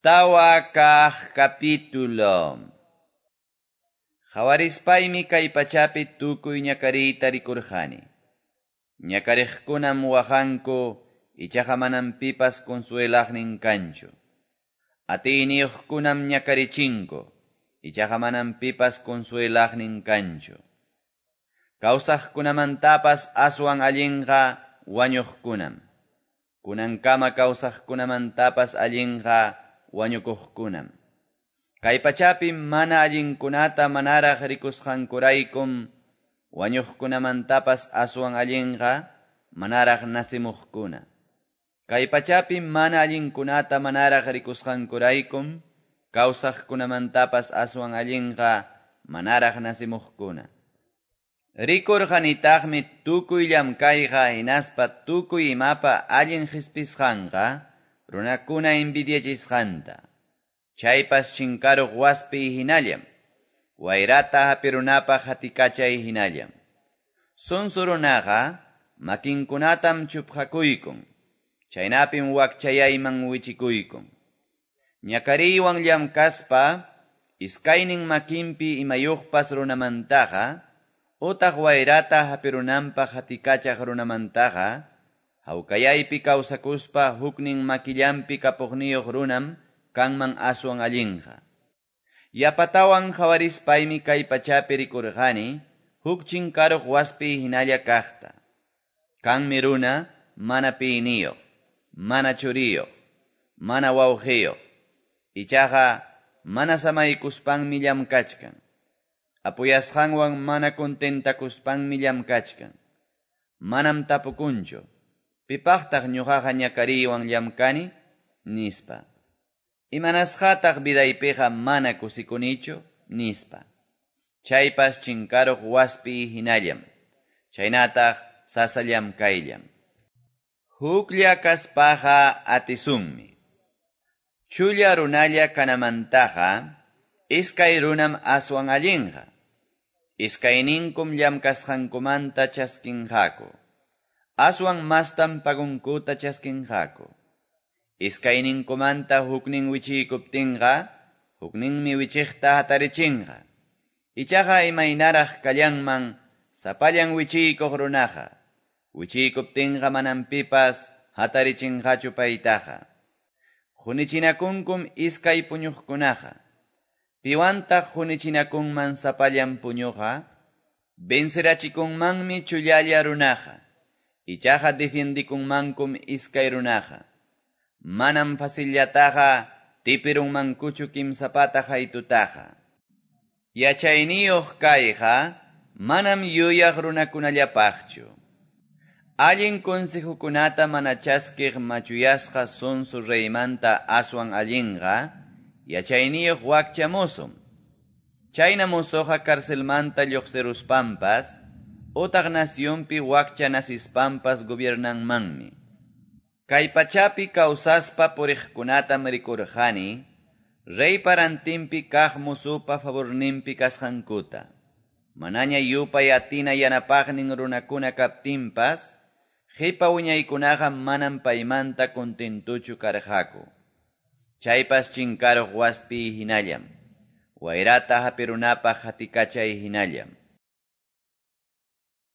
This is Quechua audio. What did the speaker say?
4 kaq capítulo. Qhawarispaymi kay pachapi tukuy ñakariyta rikurqani. Ñakariqkunam waqanku, ichaqa manam pipas consuelaqnin kanchu. Atiyniyuqkunam ñakarichinku, ichaqa manam pipas consuelaqnin kanchu. Kawsaqkunamantapas aswan allinqa wañuqkunam. Kunankama kawsaqkunamantapas allinqa wañukuqkunam. Kay pachapi mana allinkunata manaraq rikusqankuraykum wañuqkunamantapas aswan allinqa manaraq nasimuqkuna. Kay pachapi mana allinkunata manaraq rikusqankuraykum kawsaqkunamantapas aswan allinqa manaraq nasimuqkuna. Rikurqanitaqmi tukuy llamkayqa hinaspa tukuy imapa allin qispisqanqa runakuna envidiachisqanta. Chaypas chinkaruq waspi hinallam, wayrata hapirunapaq hatikachay hinallam. Sonso runaqa makinkunatam chupqakuykun, chaynapim wakchayayman wichikuykun. Ñakariywan llamkaspa, iskaynin makinpi imayuqpas runamantaqa, utaq wayrata hapirunanpaq hatikachaq runamantaqa, hawkayaypi kawsakuspa huknin makillanpi kapuqniyuq runam kanman aswan allinqa. Yapatawan qhawarispaymi kay pachapi rikurqani, huk chinkaruq waspi hinalla kaqta. Kanmi runa mana piyniyuq, mana churiyuq, mana wawqiyuq. Ichaqa mana samaykuspanmi llamkachkan. Apuyasqanwan mana contentakuspanmi llamkachkan. Manam tapukunchu, pipaqtaq ñuqaqa ñakariywan llamkani, nispa. Imanasqataq vidaypiqa mana kusikunichu, nispa. Chaypas chinkaruq waspi hinallam, chaynataq sasa llamkayllam. Huklla kaspaqa atisunmi. Chulla runalla kanamantaqa, iskay runam aswan allinqa. Iskayninkum llamkasqankumanta chaskinqaku. Aswan mastam pagunkuta chaskinqaku. Iskayninkumanta huknin wichiykuptinqa, hukninmi wichiqta hatarichinqa. Ichaqa imaynaraq kallanman sapallan wichiykuq runaqa. Wichiykuptinqa manam pipas hatarichinqachu paytaqa. Qunichinakunkum iskay puñuqkunaqa. Piwantaq qunichinakunman sapallan puñuqa, vencerachikunmanmi chullalla runaqa. Ichaqa defiendikunmankum iskay runaqa. Manam facillataqa tipirunmankuchu kimsapata haytutaqa. Yachayniyuq kayqa manam yuyaq runakunallapaqchu. Allin consejokunata mana chaskiq machuyasqa sonso reymanta aswan allinqa, yachayniyuq wakcha mozom. Chayna mozoqa carcelmanta lluqsiruspanpas, utaq nacionpi wakcha nasispanpas gobiernanmanmi. Kay pachapi kawsaspa puriqkunatam rikurqani, reypa rantinpi kaq mozopa favorninpi kasqankuta. Manaña yupay atina yanapaqnin runakuna kaptinpas, qipa wiñaykunaqa manam paymanta contentuchu karqaku. Chaypas chinkaruq waspi hinallam, wayrata hapirunapaq hatikachay hinallam.